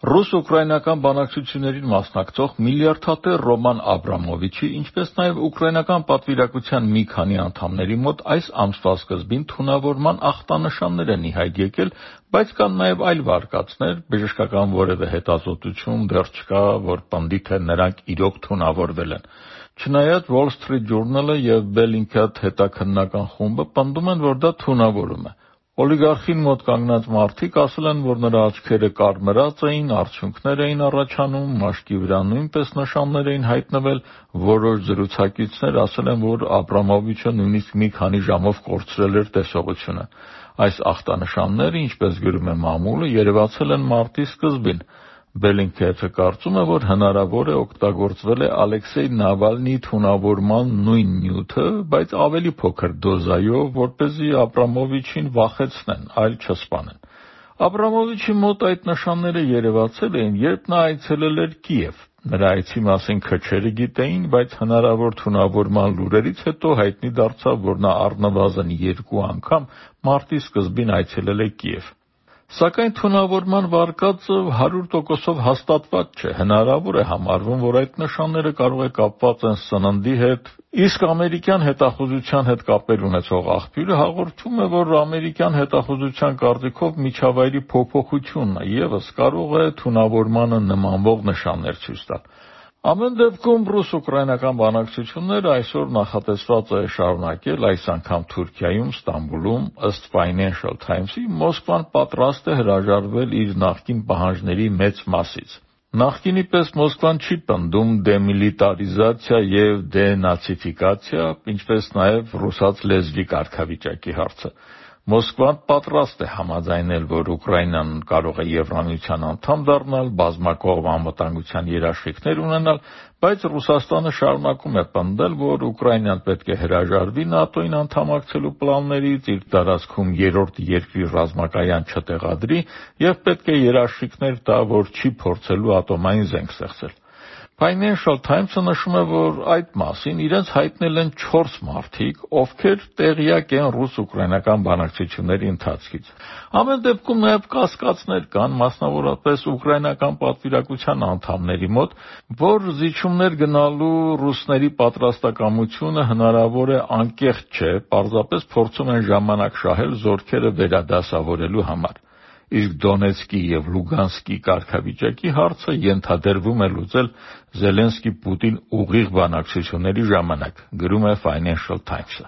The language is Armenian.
Ռուս-ուկրաինական բանակցություններին մասնակցող միլիարդատեր Ռոման Աբրամովիչի, ինչպես նաև ուկրաինական պատվիրակության մի քանի անդամների մոտ այս ամսվա սկզբին թունավորման ախտանշաններ են ի հայտ եկել, բայց կան նաև այլ վարկածներ, բժշկական որևէ հետազոտություն դեռ չկա, որ պնդի, թե նրանք իրոք թունավորվել են։ Չնայած Wall Street Journal-ը եւ Bellingcat հետաքննական խումբը պնդում են, որ դա թունավորում է։ Օլիգարխին մոտ կանգնած մարդիկ ասել են, որ նրա աչքերը կարմրած էին, արդյունքներ էին առաջանում, մաշկի վրա նույնպես նշաններ էին հայտնվել, որոշ զրուցակիցներ ասել են, որ Աբրամովիչը նույնիսկ մի քանի ժամով կորցրել էր տեսողությունը։ Այս ախտանշանները, ինչպես գրում է մամուլը, երևացել են մարտի սկզբին։ Bellingcat-ը կարծում է, որ հնարավոր է օգտագործվել է Ալեքսեյ Նավալնիի թունավորման նույն նյութը, բայց ավելի փոքր դոզայով, որպեսզի Աբրամովիչին վախեցնեն, այլ չսպանեն։ Աբրամովիչի մոտ այդ նշանները երևացել էին, երբ նա այցելել էր Կիև։ Նրա այցի մասին քչերը գիտեին, բայց հնարավոր թունավորման լուրերից հետո հայտնի դարձավ, որ նա առնվազն 2 անգամ մարտի սկզբին այցելել է Կիև։ Սակայն թունավորման վարկածը 100%-ով հաստատված չէ, հնարավոր է համարվում, որ այդ նշանները կարող է կապված են սննդի հետ, իսկ ամերիկյան հետախուզության հետ կապեր ունեցող աղբյուրը հաղորդում է, որ ամերիկյան հետախուզության կարծիքով միջավայրի փոփոխությունը ևս կարող է թունավորմանը նմանվող նշաններ ցույց տալ։ Ամեն դեպքում ռուս-ուկրաինական բանակցությունները այսօր նախատեսված է շարունակել, այս անգամ Թուրքիայում, Ստամբուլում, ըստ Financial Times-ի, Մոսկվան պատրաստ է հրաժարվել իր նախկին պահանջների մեծ մասից։ Նախկինի պես Մոսկվան չի պնդում դեմիլիտարիզացիա եւ դենացիֆիկացիա, ինչպես նաև ռուսաց լեզվի կարգավիճակի հարցը։ Մոսկվան պատրաստ է համաձայնել, որ Ուկրաինան կարող է Եվրամիության անդամ դառնալ, բազմակողմ անվտանգության երաշխիքներ ունենալ, բայց Ռուսաստանը շարունակում է պնդել, որ Ուկրաինան պետք է հրաժարվի ՆԱՏՕ-ին անդամակցելու պլաններից, իր տարածքում երրորդ երկրի ռազմակայան չտեղադրի եւ պետք է երաշխիքներ տա, որ չի փորձելու ատոմային զենք ստեղծել։ Financial Times-ը նշում է, որ այդ մասին իրենց հայտնել են 4 մարդիկ, ովքեր տեղյակ են ռուս-ուկրաինական բանակցությունների ընթացքից։ Ամեն դեպքում նաև կասկածներ կան, մասնավորապես ուկրաինական պատվիրակության անդամների մոտ, որ զիջումներ գնալու ռուսների պատրաստակամությունը հնարավոր է անկեղծ չէ, պարզապես փորձում են ժամանակ շահել զորքերը վերադասավորելու համար։ Իսկ Դոնեցկի եւ Լուգանսկի կարգավիճակի հարցը ենթադրվում է լուծել Զելենսկի-Պուտին ուղիղ բանակցությունների ժամանակ, գրում է Financial Times-ը։